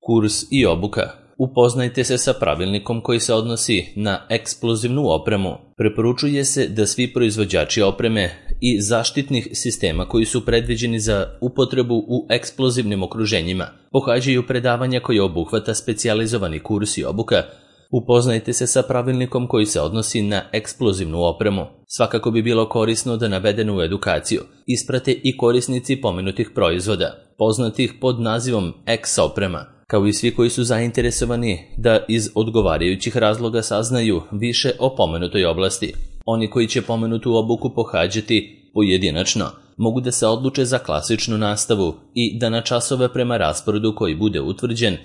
Kurs i obuka. Upoznajte se sa pravilnikom koji se odnosi na eksplozivnu opremu. Preporučuje se da svi proizvođači opreme i zaštitnih sistema koji su predviđeni za upotrebu u eksplozivnim okruženjima pohađaju predavanja koje obuhvata specijalizovani kurs i obuka. Upoznajte se sa pravilnikom koji se odnosi na eksplozivnu opremu. Svakako bi bilo korisno da navedenu edukaciju isprate i korisnici pomenutih proizvoda, poznatih pod nazivom X oprema, kao i svi koji su zainteresovani da iz odgovarajućih razloga saznaju više o pomenutoj oblasti. Oni koji će pomenutu obuku pohađati pojedinačno mogu da se odluče za klasičnu nastavu i da na časove prema rasporedu koji bude utvrđen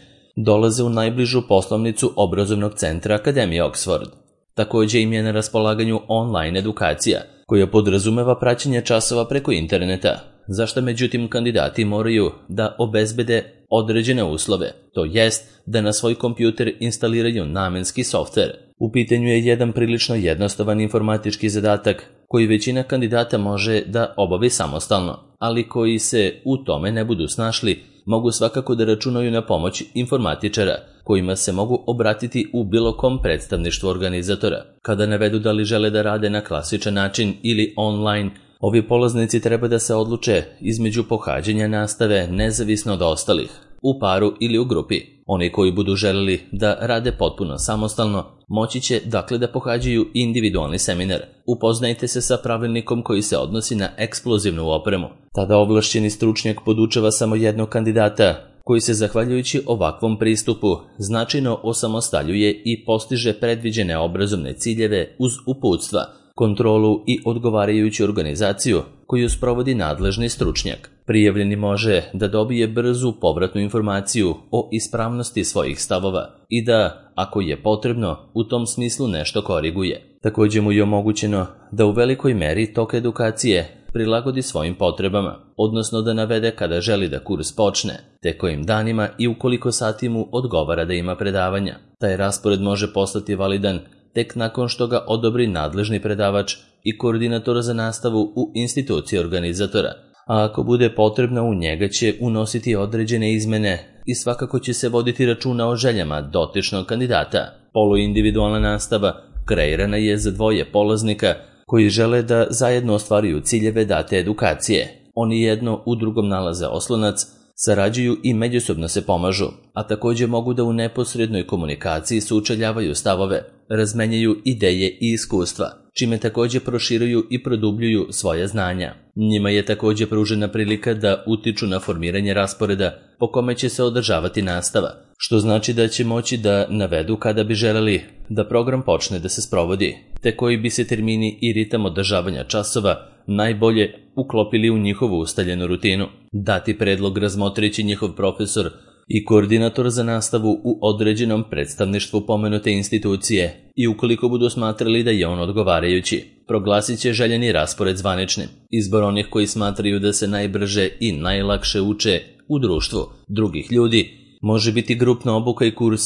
dolaze u najbližu poslovnicu obrazovnog centra Akademije Oxford. Također im je na raspolaganju online edukacija koja podrazumeva praćenje časova preko interneta, za što međutim kandidati moraju da obezbede određene uslove, to jest da na svoj kompjuter instaliraju namenski softver. U pitanju je jedan prilično jednostavan informatički zadatak koji većina kandidata može da obavi samostalno, ali koji se u tome ne budu snašli, mogu svakako da računaju na pomoć informatičara, kojima se mogu obratiti u bilo kom predstavništvu organizatora. Kada navedu da li žele da rade na klasičan način ili online, ovi polaznici treba da se odluče između pohađanja nastave nezavisno od ostalih, u paru ili u grupi. Oni koji budu želeli da rade potpuno samostalno, moći će dakle da pohađaju individualni seminar. Upoznajte se sa pravilnikom koji se odnosi na eksplozivnu opremu. Tada ovlašćeni stručnjak podučava samo jednog kandidata, koji se zahvaljujući ovakvom pristupu značajno osamostaljuje i postiže predviđene obrazovne ciljeve uz uputstva, kontrolu i odgovarajuću organizaciju koju sprovodi nadležni stručnjak. Prijavljeni može da dobije brzu povratnu informaciju o ispravnosti svojih stavova i da, ako je potrebno, u tom smislu nešto koriguje. Također mu je omogućeno da u velikoj meri tok edukacije prilagodi svojim potrebama, odnosno da navede kada želi da kurs počne, te kojim danima i u koliko sati mu odgovara da ima predavanja. Taj raspored može postati validan tek nakon što ga odobri nadležni predavač i koordinator za nastavu u instituciji organizatora, a ako bude potrebno u njega će unositi određene izmene i svakako će se voditi računa o željama dotičnog kandidata. Poluindividualna nastava kreirana je za dvoje polaznika koji žele da zajedno ostvaruju ciljeve date edukacije. Oni jedno u drugom nalaze oslonac, sarađuju i međusobno se pomažu, a također mogu da u neposrednoj komunikaciji sučeljavaju stavove, razmenjaju ideje i iskustva, čime također proširuju i produbljuju svoje znanja. Njima je također pružena prilika da utiču na formiranje rasporeda po kome će se održavati nastava, što znači da će moći da navedu kada bi želeli da program počne da se sprovodi, te koji bi se termini i ritam održavanja časova najbolje uklopili u njihovu ustaljenu rutinu. Dati predlog razmotrići njihov profesor i koordinator za nastavu u određenom predstavništvu pomenute institucije i ukoliko budu smatrali da je on odgovarajući, proglasit će željeni raspored zvaničnim. Izbor onih koji smatraju da se najbrže i najlakše uče u društvu drugih ljudi može biti grupna obuka i kurs.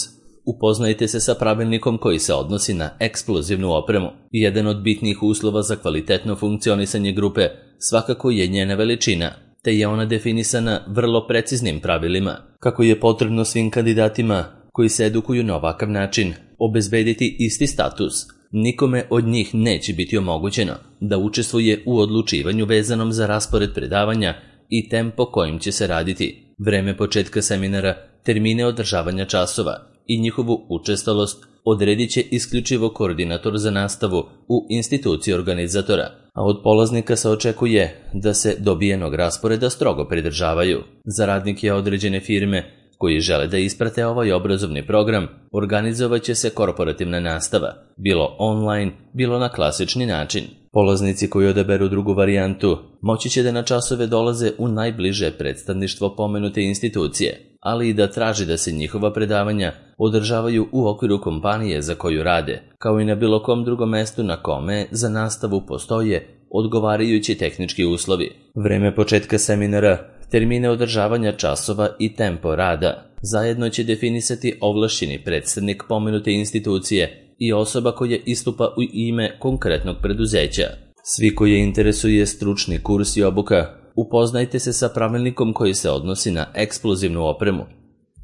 Upoznajte se sa pravilnikom koji se odnosi na eksplozivnu opremu. Jedan od bitnih uslova za kvalitetno funkcionisanje grupe svakako je njena veličina, te je ona definisana vrlo preciznim pravilima. Kako je potrebno svim kandidatima koji se edukuju na ovakav način obezbediti isti status, nikome od njih neće biti omogućeno da učestvuje u odlučivanju vezanom za raspored predavanja i tempo kojim će se raditi, vreme početka seminara, termine održavanja časova i njihovu učestalost odredit će isključivo koordinator za nastavu u instituciji organizatora, a od polaznika se očekuje da se dobijenog rasporeda strogo pridržavaju. Za radnike određene firme koji žele da isprate ovaj obrazovni program, organizovat će se korporativna nastava, bilo online, bilo na klasični način. Polaznici koji odaberu drugu varijantu moći će da na časove dolaze u najbliže predstavništvo pomenute institucije, ali i da traži da se njihova predavanja održavaju u okviru kompanije za koju rade, kao i na bilo kom drugom mestu na kome za nastavu postoje odgovarajući tehnički uslovi. Vreme početka seminara, termine održavanja časova i tempo rada zajedno će definisati ovlašćeni predstavnik pomenute institucije i osoba koja istupa u ime konkretnog preduzeća. Svi koje interesuje stručni kurs i obuka, upoznajte se sa pravilnikom koji se odnosi na eksplozivnu opremu.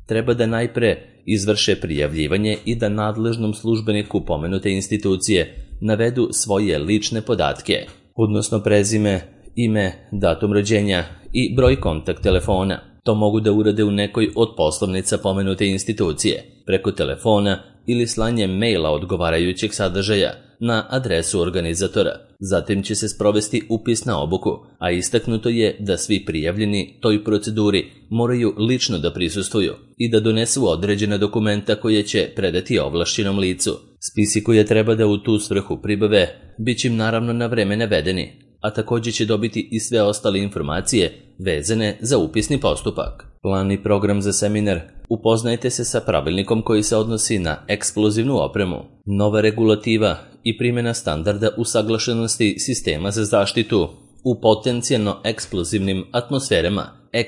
treba da najpre izvrše prijavljivanje i da nadležnom službeniku pomenute institucije navedu svoje lične podatke, odnosno prezime, ime, datum rođenja i broj kontakt telefona. To mogu da urade u nekoj od poslovnica pomenute institucije, preko telefona ili slanjem maila odgovarajućeg sadržaja na adresu organizatora. Zatim će se sprovesti upis na obuku, a istaknuto je da svi prijavljeni toj proceduri moraju lično da prisustvuju i da donesu određena dokumenta koje će predati ovlašćenom licu. Spisi koje treba da u tu svrhu pribave bit će im naravno na vreme navedeni, a također će dobiti i sve ostale informacije vezane za upisni postupak. Plan i program za seminar: upoznajte se sa pravilnikom koji se odnosi na eksplozivnu opremu, nova regulativa i primjena standarda usaglašenosti sistema za zaštitu u potencijalno eksplozivnim atmosferama.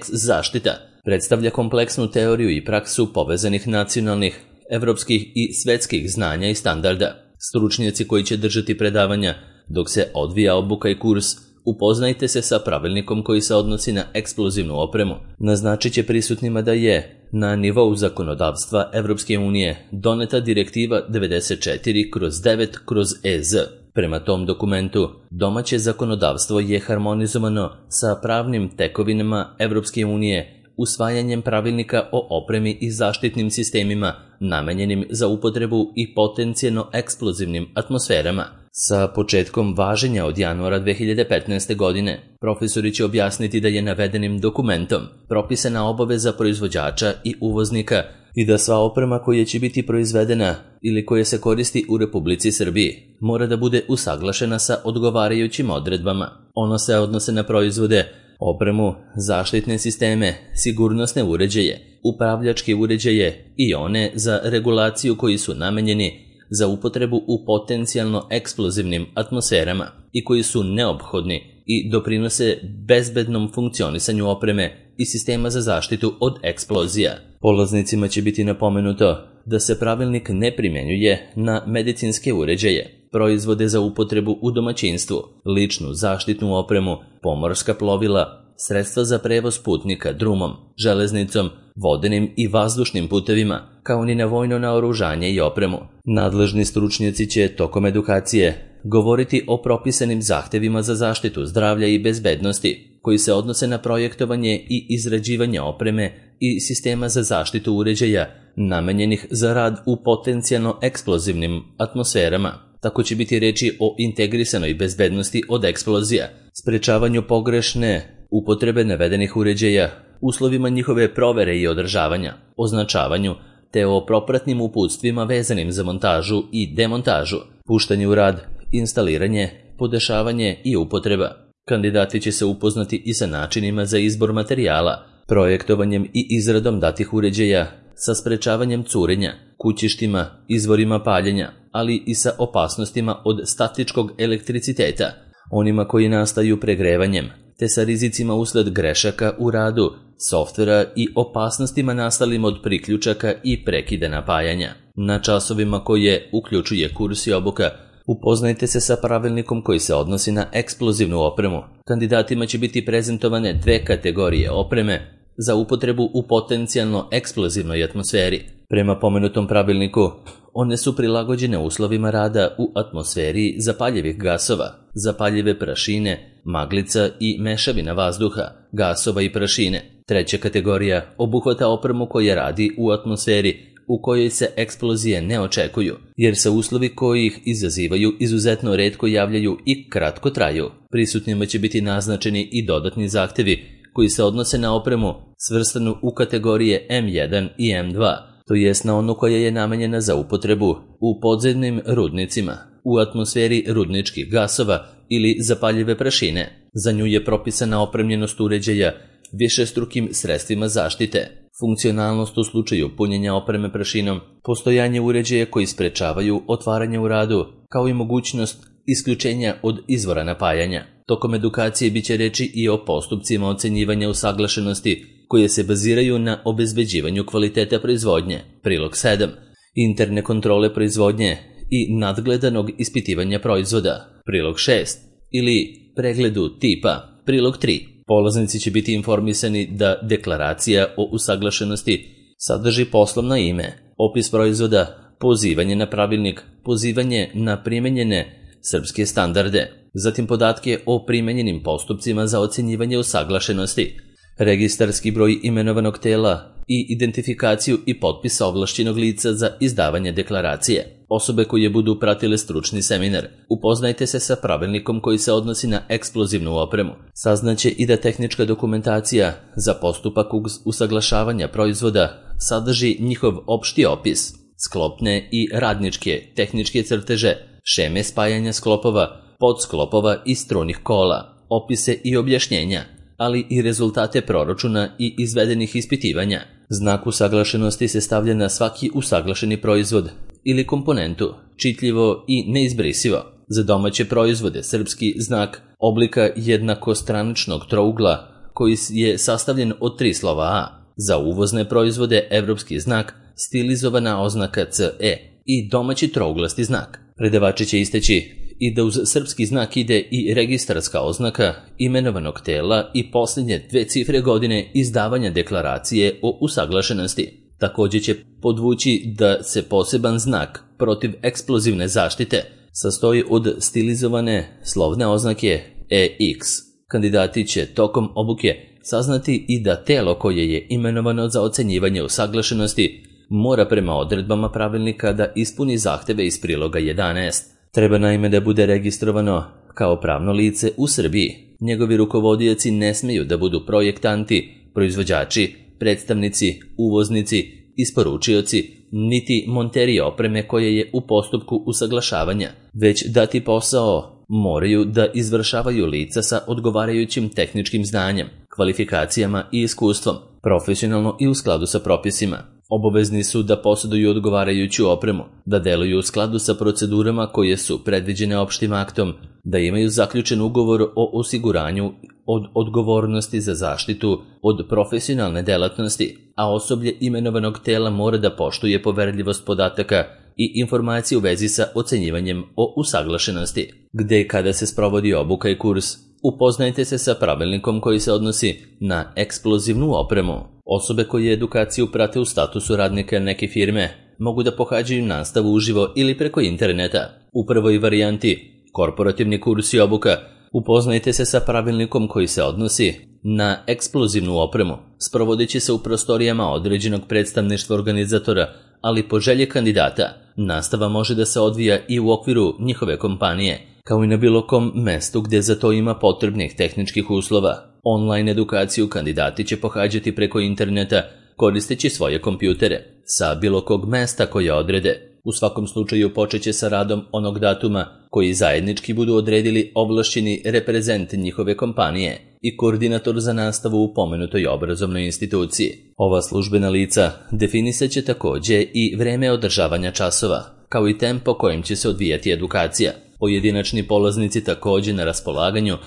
Zaštita predstavlja kompleksnu teoriju i praksu povezanih nacionalnih, evropskih i svetskih znanja i standarda. Stručnjaci koji će držati predavanja dok se odvija obuka i kurs upoznajte se sa pravilnikom koji se odnosi na eksplozivnu opremu. Naznačit će prisutnima da je na nivou zakonodavstva Evropske unije doneta direktiva 94/9/EZ. Prema tom dokumentu, domaće zakonodavstvo je harmonizovano sa pravnim tekovinama Evropske unije usvajanjem pravilnika o opremi i zaštitnim sistemima namenjenim za upotrebu i potencijalno eksplozivnim atmosferama. Sa početkom važenja od januara 2015. godine, profesori će objasniti da je navedenim dokumentom propisana obaveza proizvođača i uvoznika i da sva oprema koja će biti proizvedena ili koja se koristi u Republici Srbiji mora da bude usaglašena sa odgovarajućim odredbama. Ono se odnose na proizvode, opremu, zaštitne sisteme, sigurnosne uređaje, upravljačke uređaje i one za regulaciju koji su namenjeni za upotrebu u potencijalno eksplozivnim atmosferama i koji su neophodni i doprinose bezbednom funkcionisanju opreme i sistema za zaštitu od eksplozija. Polaznicima će biti napomenuto da se pravilnik ne primjenjuje na medicinske uređaje, proizvode za upotrebu u domaćinstvu, ličnu zaštitnu opremu, pomorska plovila, sredstva za prevoz putnika drumom, železnicom, vodenim i vazdušnim putevima, kao ni na vojno naoružanje i opremu. Nadležni stručnjaci će tokom edukacije govoriti o propisanim zahtevima za zaštitu zdravlja i bezbednosti, koji se odnose na projektovanje i izrađivanje opreme i sistema za zaštitu uređaja namenjenih za rad u potencijalno eksplozivnim atmosferama. Tako će biti reči o integrisanoj bezbednosti od eksplozija, sprečavanju pogrešne upotrebe navedenih uređaja, uslovima njihove provere i održavanja, označavanju, te o propratnim uputstvima vezanim za montažu i demontažu, puštanje u rad, instaliranje, podešavanje i upotreba. Kandidati će se upoznati i sa načinima za izbor materijala, projektovanjem i izradom datih uređaja, sa sprečavanjem curenja, kućištima, izvorima paljenja, ali i sa opasnostima od statičkog elektriciteta, onima koji nastaju pregrevanjem, te sa rizicima usled grešaka u radu, softvera i opasnostima nastalim od priključaka i prekida napajanja. Na časovima koje uključuje kurs i obuka, upoznajte se sa pravilnikom koji se odnosi na eksplozivnu opremu. Kandidatima će biti prezentovane dve kategorije opreme za upotrebu u potencijalno eksplozivnoj atmosferi. Prema pomenutom pravilniku, one su prilagođene uslovima rada u atmosferi zapaljivih gasova, zapaljive prašine, maglica i mešavina vazduha, gasova i prašine. Treća kategorija obuhvata opremu koja radi u atmosferi u kojoj se eksplozije ne očekuju, jer se uslovi koji ih izazivaju izuzetno retko javljaju i kratko traju. Prisutnima će biti naznačeni i dodatni zahtevi koji se odnose na opremu svrstanu u kategorije M1 i M2, to jest na onu koja je namenjena za upotrebu u podzemnim rudnicima, u atmosferi rudničkih gasova ili zapaljive prašine. Za nju je propisana opremljenost uređaja višestrukim sredstvima zaštite, funkcionalnost u slučaju punjenja opreme prašinom, postojanje uređaja koji sprečavaju otvaranje u radu, kao i mogućnost isključenja od izvora napajanja. Tokom edukacije biće reči i o postupcima ocenjivanja usaglašenosti koje se baziraju na obezbeđivanju kvaliteta proizvodnje, prilog 7, interne kontrole proizvodnje i nadgledanog ispitivanja proizvoda, prilog 6, ili pregledu tipa, prilog 3. Polaznici će biti informisani da deklaracija o usaglašenosti sadrži poslovno ime, opis proizvoda, pozivanje na pravilnik, pozivanje na primenjene srpske standarde, zatim podatke o primenjenim postupcima za ocjenjivanje usaglašenosti, registarski broj imenovanog tela i identifikaciju i potpisa ovlašćenog lica za izdavanje deklaracije. Osobe koje budu pratile stručni seminar, upoznajte se sa pravilnikom koji se odnosi na eksplozivnu opremu. Saznaće i da tehnička dokumentacija za postupak usaglašavanja proizvoda sadrži njihov opšti opis, sklopne i radničke tehničke crteže, šeme spajanja sklopova, podsklopova i strunih kola, opise i objašnjenja, ali i rezultate proračuna i izvedenih ispitivanja. Znak usaglašenosti se stavlja na svaki usaglašeni proizvod ili komponentu, čitljivo i neizbrisivo. Za domaće proizvode srpski znak oblika jednakostraničnog trougla koji je sastavljen od 3 slova A. Za uvozne proizvode evropski znak, stilizovana oznaka CE i domaći trouglasti znak. Predavači će isteći i da uz srpski znak ide i registarska oznaka imenovanog tela i posljednje 2 cifre godine izdavanja deklaracije o usaglašenosti. Također će podvući da se poseban znak protiv eksplozivne zaštite sastoji od stilizovane slovne oznake EX. Kandidati će tokom obuke saznati i da telo koje je imenovano za ocenjivanje usaglašenosti mora prema odredbama pravilnika da ispuni zahteve iz priloga 11. Treba naime da bude registrovano kao pravno lice u Srbiji. Njegovi rukovodioci ne smiju da budu projektanti, proizvođači, predstavnici, uvoznici, isporučioci, niti monteri opreme koje je u postupku usaglašavanja, već dati posao moraju da izvršavaju lica sa odgovarajućim tehničkim znanjem, kvalifikacijama i iskustvom, profesionalno i u skladu sa propisima. Obavezni su da posjeduju odgovarajuću opremu, da deluju u skladu sa procedurama koje su predviđene opštim aktom, da imaju zaključen ugovor o osiguranju od odgovornosti za zaštitu od profesionalne delatnosti, a osoblje imenovanog tela mora da poštuje poverljivost podataka i informacije u vezi sa ocenjivanjem o usaglašenosti. Gde i kada se sprovodi obuka i kurs, upoznajte se sa pravilnikom koji se odnosi na eksplozivnu opremu. Osobe koje edukaciju prate u statusu radnika neke firme mogu da pohađaju nastavu uživo ili preko interneta. U prvoj varijanti, korporativni kurs i obuka, upoznajte se sa pravilnikom koji se odnosi na eksplozivnu opremu. Sprovodit će se u prostorijama određenog predstavništva organizatora, ali po želji kandidata. Nastava može da se odvija i u okviru njihove kompanije, kao i na bilo kom mestu gdje za to ima potrebnih tehničkih uslova. Online edukaciju kandidati će pohađati preko interneta koristeći svoje kompjutere sa bilo kog mesta koje odrede. U svakom slučaju počeće sa radom onog datuma koji zajednički budu odredili ovlašćeni reprezent njihove kompanije i koordinator za nastavu u pomenutoj obrazovnoj instituciji. Ova službena lica definisat će također i vreme održavanja časova, kao i tempo kojim će se odvijati edukacija. Pojedinačni polaznici također na raspolaganju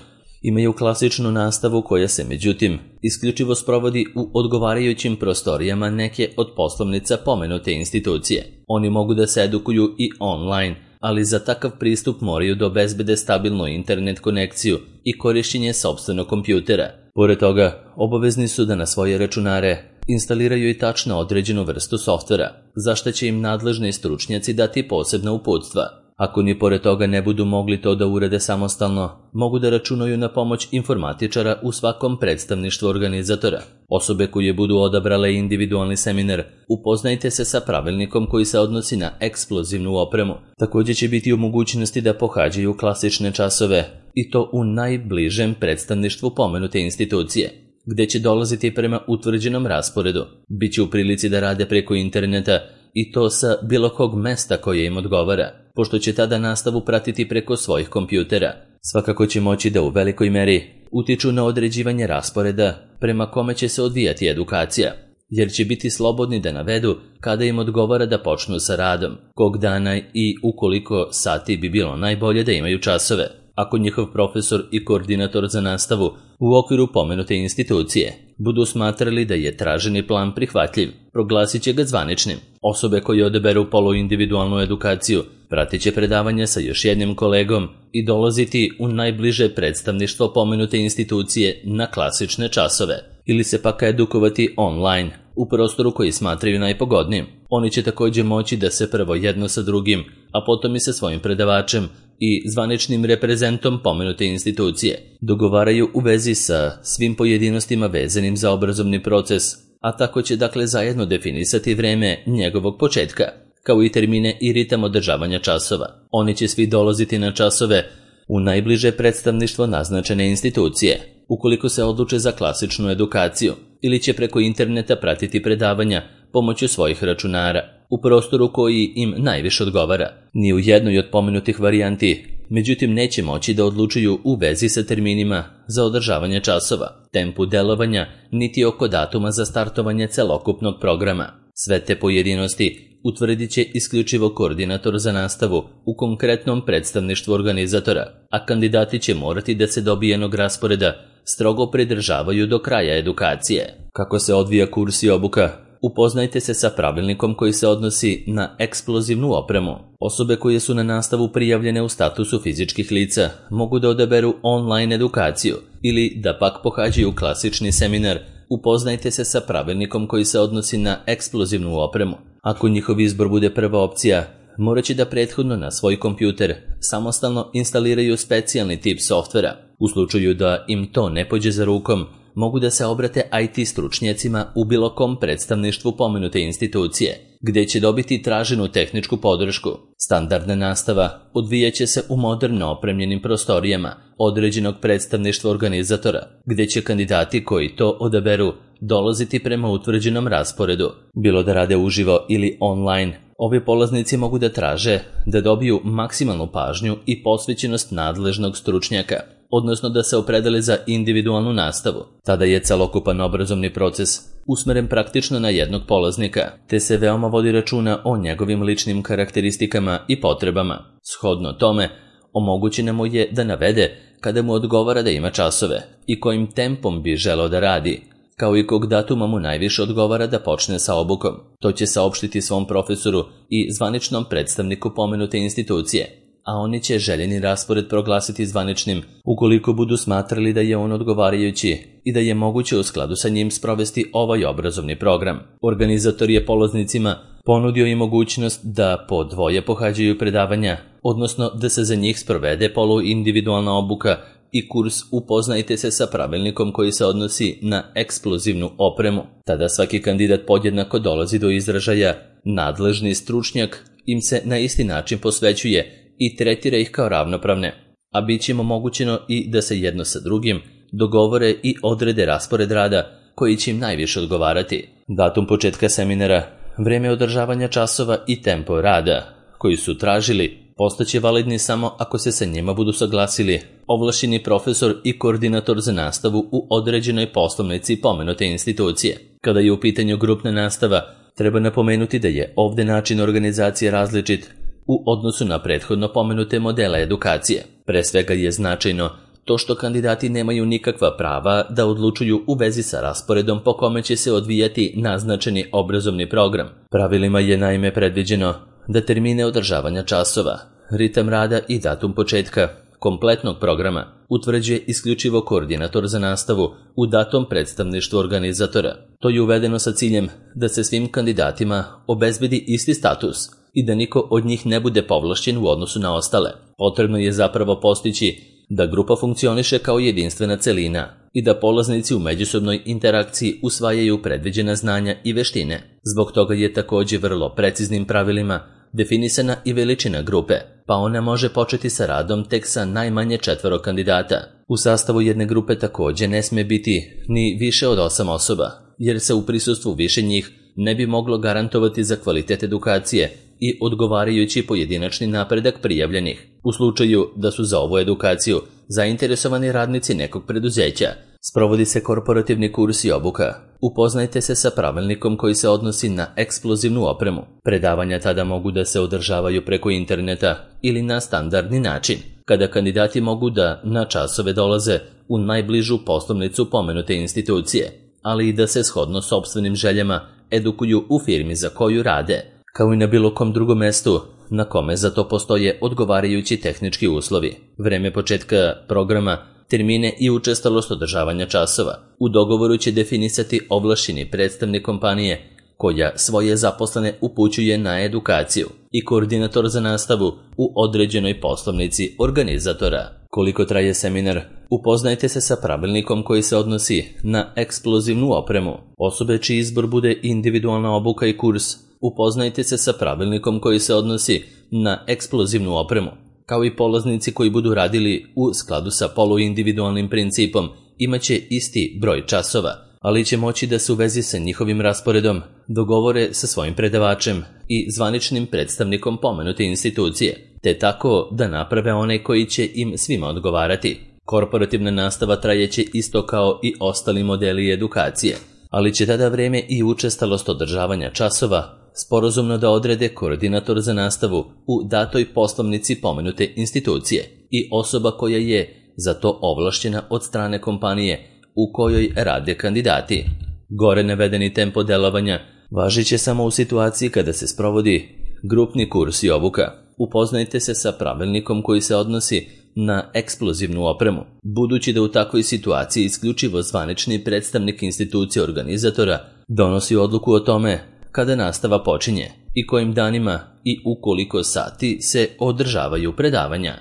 imaju klasičnu nastavu koja se, međutim, isključivo sprovodi u odgovarajućim prostorijama neke od poslovnica pomenute institucije. Oni mogu da se edukuju i online, ali za takav pristup moraju da obezbede stabilnu internet konekciju i korišćenje sopstvenog kompjutera. Pored toga, obavezni su da na svoje računare instaliraju i tačno određenu vrstu softvera, za što će im nadležni stručnjaci dati posebna uputstva. Ako ni pored toga ne budu mogli to da urade samostalno, mogu da računaju na pomoć informatičara u svakom predstavništvu organizatora. Osobe koje budu odabrale individualni seminar, upoznajte se sa pravilnikom koji se odnosi na eksplozivnu opremu. Također će biti u mogućnosti da pohađaju klasične časove, i to u najbližem predstavništvu pomenute institucije, gde će dolaziti prema utvrđenom rasporedu. Biće u prilici da rade preko interneta i to sa bilo kog mesta koje im odgovara, pošto će tada nastavu pratiti preko svojih kompjutera. Svakako će moći da u velikoj meri utiču na određivanje rasporeda prema kome će se odvijati edukacija, jer će biti slobodni da navedu kada im odgovara da počnu sa radom, kog dana i ukoliko sati bi bilo najbolje da imaju časove. Ako njihov profesor i koordinator za nastavu u okviru pomenute institucije budu smatrali da je traženi plan prihvatljiv, proglasit će ga zvaničnim. Osobe koje odaberu poluindividualnu edukaciju pratit će predavanja sa još jednim kolegom i dolaziti u najbliže predstavništvo pomenute institucije na klasične časove. ili se pak edukovati online, u prostoru koji smatraju najpogodnijim. Oni će također moći da se prvo jedno sa drugim, a potom i sa svojim predavačem i zvaničnim reprezentom pomenute institucije dogovaraju u vezi sa svim pojedinostima vezanim za obrazovni proces, a tako će dakle zajedno definisati vreme njegovog početka, kao i termine i ritam održavanja časova. Oni će svi dolaziti na časove u najbliže predstavništvo naznačene institucije, ukoliko se odluče za klasičnu edukaciju, ili će preko interneta pratiti predavanja pomoću svojih računara, u prostoru koji im najviše odgovara. Ni u jednoj od pomenutih varijanti, međutim, neće moći da odlučuju u vezi sa terminima za održavanje časova, tempu delovanja, niti oko datuma za startovanje celokupnog programa. Sve te pojedinosti utvrdit će isključivo koordinator za nastavu u konkretnom predstavništvu organizatora, a kandidati će morati da se dobijenog rasporeda strogo pridržavaju do kraja edukacije. Kako se odvija kurs i obuka? Upoznajte se sa pravilnikom koji se odnosi na eksplozivnu opremu. Osobe koje su na nastavu prijavljene u statusu fizičkih lica mogu da odaberu online edukaciju ili da pak pohađaju klasični seminar. Upoznajte se sa pravilnikom koji se odnosi na eksplozivnu opremu. Ako njihov izbor bude prva opcija, morat će da prethodno na svoj kompjuter samostalno instaliraju specijalni tip softvera. U slučaju da im to ne pođe za rukom, mogu da se obrate IT stručnjacima u bilo kom predstavništvu pomenute institucije, gdje će dobiti traženu tehničku podršku. Standardna nastava odvijaće se u moderno opremljenim prostorijama određenog predstavništva organizatora, gdje će kandidati koji to odaberu dolaziti prema utvrđenom rasporedu. Bilo da rade uživo ili online, ovi polaznici mogu da traže da dobiju maksimalnu pažnju i posvećenost nadležnog stručnjaka, odnosno da se opredele za individualnu nastavu. Tada je celokupan obrazovni proces usmeren praktično na jednog polaznika, te se veoma vodi računa o njegovim ličnim karakteristikama i potrebama. Shodno tome, omogućeno mu je da navede kada mu odgovara da ima časove i kojim tempom bi želeo da radi, kao i kog datuma mu najviše odgovara da počne sa obukom. To će saopštiti svom profesoru i zvaničnom predstavniku pomenute institucije, a oni će željeni raspored proglasiti zvaničnim ukoliko budu smatrali da je on odgovarajući i da je moguće u skladu sa njim sprovesti ovaj obrazovni program. Organizator je polaznicima ponudio i mogućnost da po dvoje pohađaju predavanja, odnosno da se za njih sprovede poluindividualna obuka i kurs Upoznajte se sa pravilnikom koji se odnosi na eksplozivnu opremu. Tada svaki kandidat podjednako dolazi do izražaja, nadležni stručnjak im se na isti način posvećuje i tretira ih kao ravnopravne, a bit će im omogućeno i da se jedno sa drugim dogovore i odrede raspored rada koji će im najviše odgovarati. Datum početka seminara, vreme održavanja časova i tempo rada koji su tražili postaće validni samo ako se sa njima budu saglasili ovlašćeni profesor i koordinator za nastavu u određenoj poslovnici pomenute institucije. Kada je u pitanju grupna nastava, treba napomenuti da je ovdje način organizacije različit u odnosu na prethodno pomenute modele edukacije. Pre svega je značajno to što kandidati nemaju nikakva prava da odlučuju u vezi sa rasporedom po kome će se odvijati naznačeni obrazovni program. Pravilima je naime predviđeno da termine održavanja časova, ritam rada i datum početka kompletnog programa utvrđuje isključivo koordinator za nastavu u datom predstavništvu organizatora. To je uvedeno sa ciljem da se svim kandidatima obezbedi isti status i da niko od njih ne bude povlašćen u odnosu na ostale. Potrebno je zapravo postići da grupa funkcioniše kao jedinstvena celina i da polaznici u međusobnoj interakciji usvajaju predviđena znanja i veštine. Zbog toga je također vrlo preciznim pravilima definisana i veličina grupe, pa ona može početi sa radom tek sa najmanje 4 kandidata. U sastavu jedne grupe također ne smije biti ni više od 8 osoba, jer se u prisustvu više njih ne bi moglo garantovati za kvalitet edukacije i odgovarajući pojedinačni napredak prijavljenih. U slučaju da su za ovu edukaciju zainteresovani radnici nekog preduzeća, sprovodi se korporativni kurs i obuka. Upoznajte se sa pravilnikom koji se odnosi na eksplozivnu opremu. Predavanja tada mogu da se održavaju preko interneta ili na standardni način, kada kandidati mogu da na časove dolaze u najbližu poslovnicu pomenute institucije, ali i da se shodno sopstvenim željama edukuju u firmi za koju rade, kao i na bilo kom drugom mestu na kome za to postoje odgovarajući tehnički uslovi. Vreme početka programa termine i učestalost održavanja časova. U dogovoru će definisati ovlašćeni predstavnik kompanije koja svoje zaposlene upućuje na edukaciju i koordinator za nastavu u određenoj poslovnici organizatora. Koliko traje seminar? Upoznajte se sa pravilnikom koji se odnosi na eksplozivnu opremu. Osobe čiji izbor bude individualna obuka i kurs, upoznajte se sa pravilnikom koji se odnosi na eksplozivnu opremu. Kao i polaznici koji budu radili u skladu sa poluindividualnim principom, imaće isti broj časova, ali će moći da se u vezi sa njihovim rasporedom dogovore sa svojim predavačem i zvaničnim predstavnikom pomenute institucije, te tako da naprave one koji će im svima odgovarati. Korporativna nastava trajeće isto kao i ostali modeli edukacije, ali će tada vreme i učestalost održavanja časova sporazumno da odrede koordinator za nastavu u datoj poslovnici pomenute institucije i osoba koja je za to ovlašćena od strane kompanije u kojoj rade kandidati. Gore navedeni tempo delovanja važit će samo u situaciji kada se sprovodi grupni kurs i obuka. Upoznajte se sa pravilnikom koji se odnosi na eksplozivnu opremu, budući da u takvoj situaciji isključivo zvanični predstavnik institucije organizatora donosi odluku o tome kada nastava počinje i kojim danima i u koliko sati se održavaju predavanja.